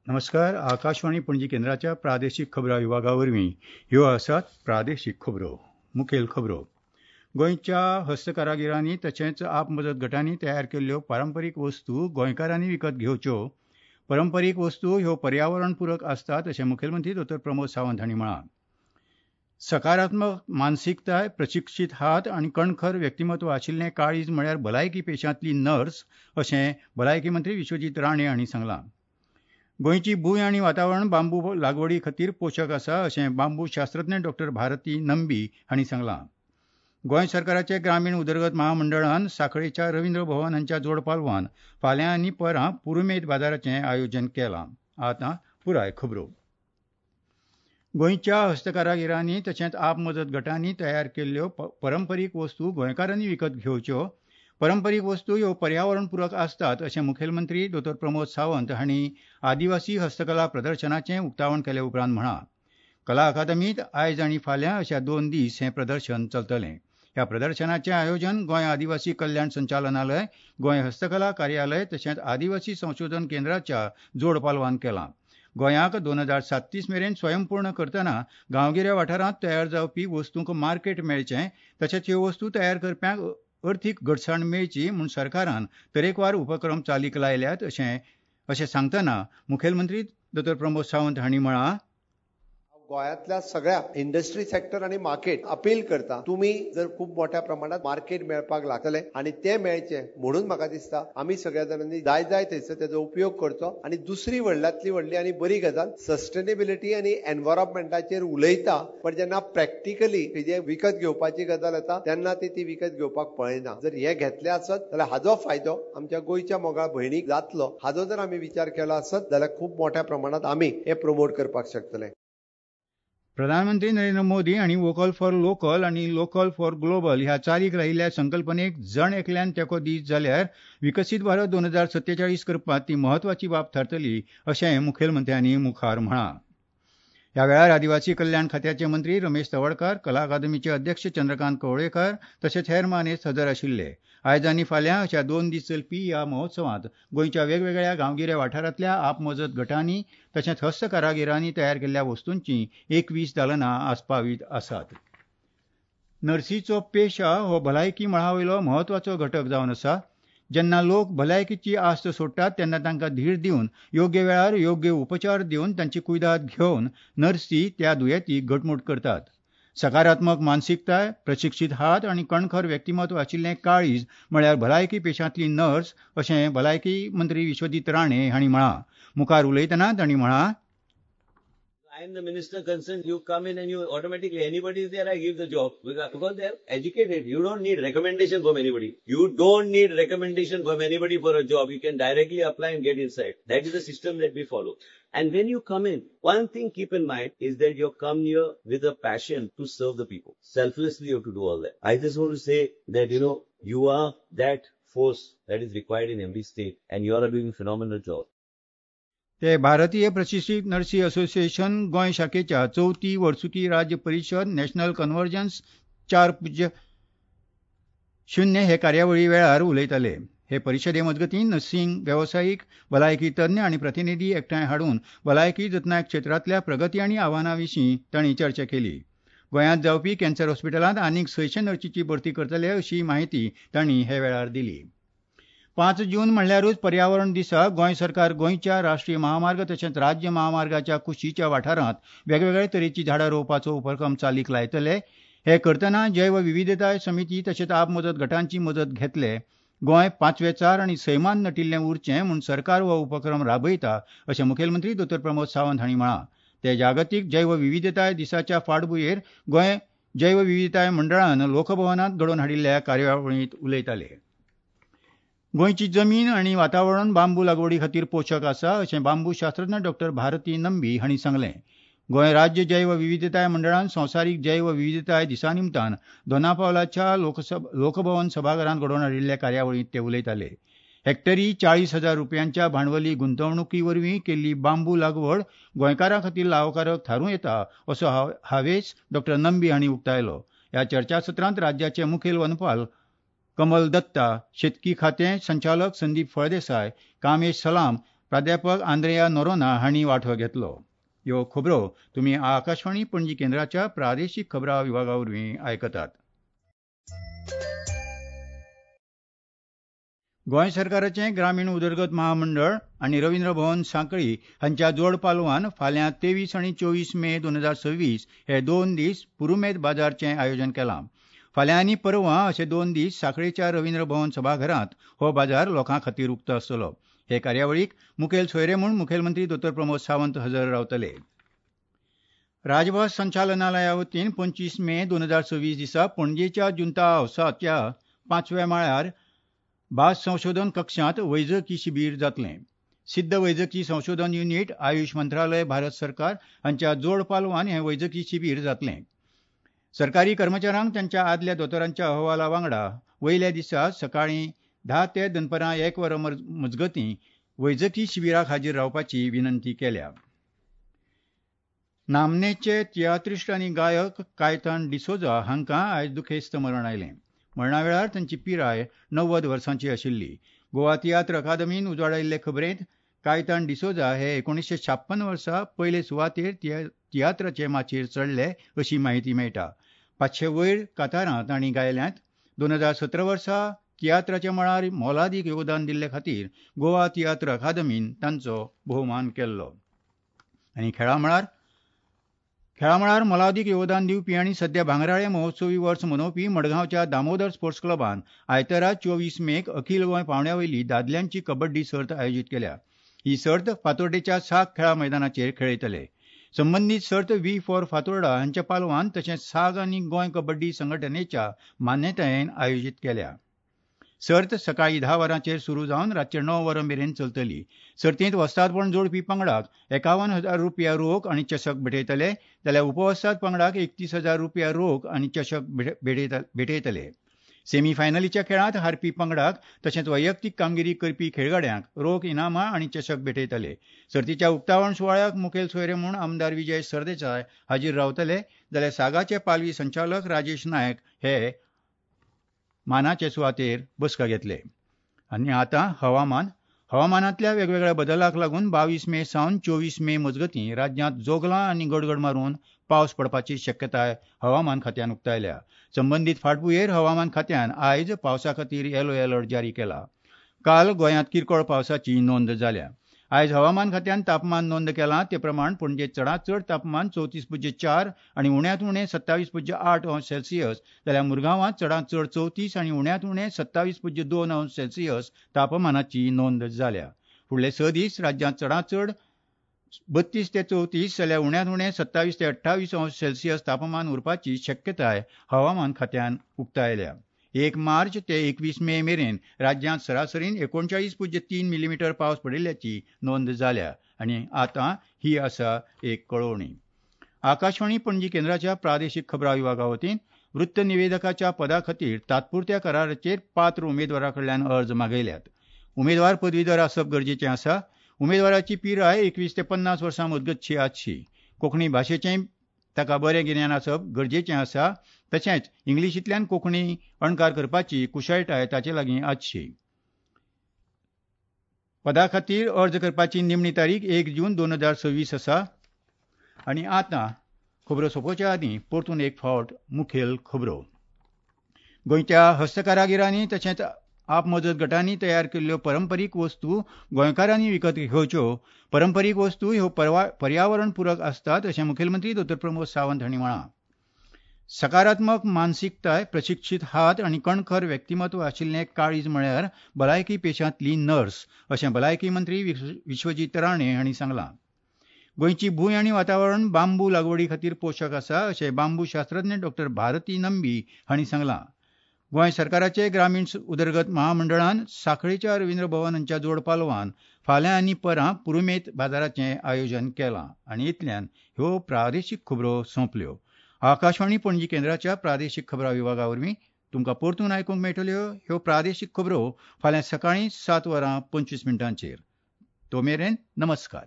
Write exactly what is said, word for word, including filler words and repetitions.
नमस्कार. आकाशवाणी पणजी केंद्राच्या प्रादेशीक खबरां विभागा वरवीं ह्यो आसात प्रादेशीक खबरो. मुखेल खबरो. गोंयच्या हस्तकारागिरांनी तशेंच आप मजत गटांनी तयार केल्ल्यो पारंपरीक वस्तू गोंयकारांनी विकत घेवच्यो. परंपरीक वस्तू ह्यो पर्यावरणपूरक आसतात अशें मुखेलमंत्री दोतोर प्रमोद सावंत हांणी म्हळां. सकारात्मक मानसिकताय, प्रशिक्षीत हात आनी कणखर व्यक्तिमत्व आशिल्लें काळीज म्हळ्यार भलायकी पेशांतली नर्स अशें भलायकी मंत्री विश्वजीत राणे हांणी सांगलां. गोंयची भूंय आनी वातावरण बांबू लागवडी खातीर पोशक आसा अशें बांबू शास्त्रज्ञ डॉक्टर भारती नंबी हांणी सांगलां. गोंय सरकाराचे ग्रामीण उदरगत महामंडळान सांखळेच्या रवींद्र भवन हांच्या जोडपालवान फाल्यां आनी परां पुरुमेत बाजाराचें आयोजन केलां. आतां पुराय खबरो. गोंयच्या हस्तकारागिरांनी तशेंच आप मजत गटांनी तयार केल्ल्यो परंपरीक वस्तू गोंयकारांनी विकत घेवच्यो. परंपरीक वस्तू ह्यो पर्यावरणपूरक आसतात अशें मुखेलमंत्री दोतोर प्रमोद सावंत हांणी आदिवासी हस्तकला प्रदर्शनाचें उक्तावण केले उपरांत म्हळां. कला अकादमींत आयज आनी फाल्यां अशा दोन दीस हें प्रदर्शन चलतलें. ह्या प्रदर्शनाचें आयोजन गोंय आदिवासी कल्याण संचालनालय, गोंय हस्तकला कार्यालय तशेंच आदिवासी संशोधन केंद्राच्या जोडपालवान केलां. गोंयाक दोन हजार सात्तीस मेरेन स्वयंपूर्ण करतना गांवगिऱ्या वाठारांत तयार जावपी वस्तूंक मार्केट मेळचें तशेंच ह्यो वस्तू तयार करप्यांक अर्थीक घटसाण मेळची म्हूण सरकारान तरेकवार उपक्रम चालीक लायल्यात अशें अशें सांगतना मुखेलमंत्री दोतोर प्रमोद सावंत हांणी म्हळां. गोंयांतल्या सगळ्या इंडस्ट्री सेक्टर आनी मार्केट अपील करता, तुमी जर खूब मोठ्या प्रमाणात मार्केट मेळपाक लागतले आनी ते मेळचे म्हणून म्हाका दिसता आमी सगळ्या जाणांनी जाय जाय थंयसर तेजो उपयोग करचो. आनी दुसरी व्हडल्यांतली व्हडली आनी बरी गजाल, सस्टेनेबिलिटी आनी एनवायरमेंटाचेर उलयता पण जेन्ना प्रॅक्टिकली जे विकत घेवपाची गजाल येता तेन्ना ती ती विकत घेवपाक पळयना. जर हे घेतले आसत जाल्यार हाजो फायदो आमच्या गोंयच्या मोगाळ भयणीक जातलो. हाजो जर आमी विचार केलो आसत जाल्यार खूब मोठ्या प्रमाणात आमी हे प्रमोट करपाक शकतले. प्रधानमंत्री नरेंद्र मोदी हांणी वोकल फॉर लोकल आनी लोकल फॉर ग्लोबल ह्या चालीक लायिल्ल्या संकल्पनेक जण एकल्यान तेंको दीत जाल्यार विकसीत भारत दोन हजार सत्तेचाळीस करपांत ती म्हत्वाची बाब थारतली अशें मुखेलमंत्र्यांनी मुखार म्हळां. ह्या वेळार आदिवासी कल्याण खात्याचे मंत्री रमेश तवडकार, कला अकादमीचे अध्यक्ष चंद्रकांत कवळेकार तशेंच हेर मानेस्त हजर आशिल्ले. आयज आनी फाल्यां अशा दोन दीस चलपी ह्या महोत्सवांत गोंयच्या वेगवेगळ्या गांवगिऱ्या वाठारांतल्या आपमजत गटांनी तशेंच हस्तकारागिरांनी तयार केल्ल्या वस्तूंची एकवीस दालनां आस्पावीत आसात. नर्सीचो पेशा हो भलायकी मळा वयलो म्हत्वाचो घटक जावन आसा. जेन्ना लोक भलायकीची आस्त सोडटात तेन्ना तांकां धीर दिवन योग्य वेळार योग्य उपचार दिवन तांची कुयदाद घेवन नर्सी त्या दुयेंतीक घटमूट करतात. सकारात्मक मानसिकताय, प्रशिक्षीत हात आनी कणखर व्यक्तिमत्व आशिल्लें काळीज म्हळ्यार भलायकी पेशांतली नर्स अशें भलायकी मंत्री विश्वजीत राणे हांणी म्हळां. मुखार उलयतना तांणी म्हळां, I am the minister concerned. You come in and you automatically, anybody is there, I give the job. Because they are educated. You don't need recommendation from anybody. You don't need recommendation from anybody for a job. You can directly apply and get inside. That is the system that we follow. And when you come in, one thing keep in mind is that you come here with a passion to serve the people. Selflessly you have to do all that. I just want to say that, you know, you are that force that is required in every state and you are doing a phenomenal job. ते भारतीय प्रशिक्षीत नर्सी association Goa शाखेच्या चवथी वर्सुकी राज्य परिशद national convergence चार पूज्य शून्य हे कार्यावळी वेळार उलयताले. हे परिशदे मजगतीं नर्सिंग वेवसायीक, भलायकी तज्ञ आनी प्रतिनिधी एकठांय हाडून भलायकी जतनाय क्षेत्रांतल्या प्रगती आनी आव्हानां विशीं तांणी चर्चा केली. गोंयांत जावपी कॅन्सर हॉस्पिटलांत आनीक सयशे नर्सीची भरती करतले अशी म्हायती तांणी हे वेळार दिली. पांच जून म्हणल्यारूच पर्यावरण दिसा गोंय सरकार गोंयच्या राष्ट्रीय महामार्ग तशेंच राज्य महामार्गाच्या कुशीच्या वाठारांत वेगवेगळे तरेची झाडां रोवपाचो उपक्रम चालीक लायतले. हे करतना जैव विविधताय समिती तशेंच आप मजत गटांची मजत घेतले. गोंय पांचवेचार आनी सैमान नटिल्लें उरचें म्हूण सरकार हो उपक्रम राबयता अशें मुखेलमंत्री दोतोर प्रमोद सावंत हांणी म्हळां. ते जागतीक जैव विविधताय दिसाच्या फाटभुंयेर गोंय जैव विविधताय मंडळान लोकभवनांत घडोवन हाडिल्ल्या कार्यावळींत उलयताले. गोंयची जमीन आनी वातावरण बांबू लागवडी खातीर पोशक आसा अशें बांबू शास्त्रज्ञ डॉक्टर भारती नंबी हांणी सांगलें. गोंय राज्य जैव विविधताय मंडळान संवसारीक जैव विविधताय दिसा निमतान दोनापावलाच्या लोकभवन सभाघरांत घडोवन हाडिल्ल्या कार्यावळींत ते उलयताले. हेक्टरी चाळीस हजार रुपयांच्या भांडवली गुंतवणुकी वरवीं केल्ली बांबू लागवड गोंयकारां खातीर लावकारक थारूं येता असो हावेस डॉक्टर नंबी हांणी उक्तायलो. ह्या चर्चासत्रांत राज्याचे मुखेल वनपाल कमल दत्ता, शेतकी खातें संचालक संदीप फळदेसाय, कामेश सलाम, प्राध्यापक आंद्रेया नोरोना हांणी वांटो घेतलो. ह्यो खबरो तुमी आकाशवाणी पणजी केंद्राच्या प्रादेशीक खबरां विभागा वरवीं आयकतात. गोंय सरकाराचें ग्रामीण उदरगत महामंडळ आनी रवींद्र भवन सांखळी हांच्या जोड पालवान फाल्यां तेवीस आनी चोवीस मे दोन हजार सव्वीस हे दोन दीस पुरुमेत बाजारचें आयोजन केलां. फाल्यां आनी परवां अशे दोन दीस सांखळेच्या रवींद्र भवन सभाघरांत हो बाजार लोकां खातीर उक्तो आसतलो. हे कार्यावळीक मुखेल सोयरे म्हूण मुखेलमंत्री दोतोर प्रमोद सावंत हजर रावतले. राजभास संचालनालया वतीन पंचवीस मे दोन हजार सव्वीस दिसा पणजेच्या जुंता हावसाच्या पांचव्या माळ्यार भास संशोधन कक्षांत वैजकी शिबीर जातलें. सिद्ध वैजकी संशोधन युनिट आयुष मंत्रालय भारत सरकार हांच्या जोड पालवान हें वैजकी शिबीर जातलें. सरकारी कर्मचाऱ्यांक तांच्या आदल्या दोतोरांच्या अहवाला वांगडा वयल्या दिसा सकाळीं धा ते दनपरां एक वरां मजगतीं वैजकी शिबिराक हाजीर रावपाची विनंती केल्या. नामनेचे तियात्रिस्ट आनी गायक कायतान डिसोजा हांकां आयज दुखेस्त मरण आयलें. मरणा वेळार तांची पिराय णव्वद वर्सांची आशिल्ली. गोवा तियात्र अकादमीन उजवाडायिल्ले खबरेंत कायतान डिसोजा हे एकोणीसशे छाप्पन वर्सा पयले सुवातेर तियात्राचे माचयेर चडले अशी म्हायती मेळटा. पांचशे वयर कातारां तांणी गायल्यांत. दोन हजार सतरा वर्सा तियात्राच्या मळार मोलादीक योगदान दिल्ले खातीर गोवा तियात्र अकादमीन तांचो भोवमान केल्लो. आनी खेळा मळार खेळा मळार मोलादीक योगदान दिवपी आनी सध्या भांगराळे महोत्सवी वर्स मनोवपी मडगांवच्या दामोदर स्पोर्ट्स क्लबान आयतारा चोवीस मेक अखील गोंय पावंड्या वयली दादल्यांची कबड्डी सर्त आयोजीत केल्या. ही सर्त फातोर्डेच्या साग खेळा मैदानाचेर खेळयतले. संबंदीत सर्त व्ही फॉर फातोर्डा हांच्या पालवान तशेंच साग आनी गोंय कबड्डी संघटनेच्या मान्यतायेन आयोजीत केल्या. सर्त सकाळीं धा वरांचेर सुरू जावन रातचे णव वरां मेरेन चलतली. सर्तींत वस्तादपण जोडपी पंगडाक एकावन्न हजार रुपया रोख आनी चषक भेटयतले, जाल्यार उपवस्ताद पंगडाक एकतीस हजार रुपया रोख आनी चषक भेटयतले. सेमीफायनलीच्या खेळांत हारपी पंगडाक तशेंच वैयक्तीक कामगिरी करपी खेळगड्यांक रोख इनामां आनी चषक भेटयतले. सर्तीच्या उक्तावण सुवाळ्याक मुखेल सोयरे म्हूण आमदार विजय सरदेसाय हाजीर रावतले, जाल्यार सागाचे पालवी संचालक राजेश नायक हे मानाचे सुवातेर बसका घेतले. आनी आतां हवामान. हवामानांतल्या वेगवेगळ्या बदलाक लागून बावीस मे सावन चोवीस मे मजगतीं राज्यांत जोगलां आनी गडगड मारून पावस पडपाची शक्यताय हवामान खात्यान उक्तायल्या. संबंदीत फाटभुंयेर हवामान खात्यान आयज पावसा खातीर येलो अलर्ट जारी केला. काल गोंयांत किरकोळ पावसाची नोंद जाल्या. आयज हवामान खात्यान तापमान नोंद केलां ते प्रमाण पणजे चडांत चड तापमान चवतीस पुज्य चार आनी उण्यांत उणें सत्तावीस पुज्य आठ अंश सेल्सियस, जाल्यार मुरगांवांत चडांत चड चवतीस आनी उण्यांत उणें सत्तावीस पुज्य दोन अंश सेल्सियस तापमानाची नोंद जाल्या. फुडले स दीस राज्यांत चडांत चड बत्तीस ते चवतीस जाल्यार उण्यांत उणें सत्तावीस ते अठ्ठावीस अंश सेल्सियस तापमान उरपाची शक्यताय हवामान खात्यान उक्तायल्या. एक मार्च ते एकवीस मे मेरेन राज्यांत सरासरीन एकोणचाळीस पुज्य तीन मिलीमीटर पावस पडिल्ल्याची नोंद जाल्या. आनी आतां ही आसा एक कळोवणी. आकाशवाणी पणजी केंद्राच्या प्रादेशीक खबरां विभागा वतीन वृत्त निवेदकाच्या पदा खातीर तात्पुरत्या कराराचेर पात्र उमेदवारा कडल्यान अर्ज मागयल्यात. उमेदवार पदवीधर आसप गरजेचें आसा. उमेदवाराची पिराय एकवीस ते पन्नास वर्सां मजगतची आसची. कोंकणी भाशेचें ताका बरें गिन्यान आसप गरजेचें आसा. तशेंच इंग्लिशींतल्यान कोंकणी अणकार करपाची कुशळटाय ताचे लागीं आसची. पदा खातीर अर्ज करपाची निमणी तारीख एक जून दोन हजार सव्वीस आसा. आनी आतां खबरो सोंपोवच्या आदीं परतून एक फावट मुखेल खबरो. गोंयच्या हस्तकारागिरांनी तशेंच आप मजत गटांनी तयार केल्ल्यो परंपरीक वस्तू गोंयकारांनी विकत घेवच्यो. परंपरीक वस्तू ह्यो पर्यावरण पूरक आसतात अशें मुखेलमंत्री दोतोर प्रमोद सावंत हांणी म्हळां. सकारात्मक मानसिकताय, प्रशिक्षीत हात आनी कणखर व्यक्तिमत्व आशिल्लें काळीज म्हळ्यार भलायकी पेशांतली नर्स अशें भलायकी मंत्री विश्वजीत राणे हांणी सांगलां. गोंयची भूंय आनी वातावरण बांबू लागवडी खातीर पोशक आसा अशें बांबू शास्त्रज्ञ डॉक्टर भारती नंबी हांणी सांगलां. गोंय सरकाराचे ग्रामीण उदरगत महामंडळान सांखळेच्या रवींद्र भवन हांच्या जोड पालवान फाल्यां आनी परां पुरुमेत बाजाराचें आयोजन केलां. आनी इतल्यान ह्यो प्रादेशीक खबरो सोंपल्यो. आकाशवाणी पणजी केंद्राच्या प्रादेशीक खबरां विभागा वरवीं तुमकां परतून आयकूंक मेळटल्यो ह्यो प्रादेशीक खबरो फाल्यां सकाळीं सात वरां पंचवीस मिनटांचेर. तो मेरेन नमस्कार.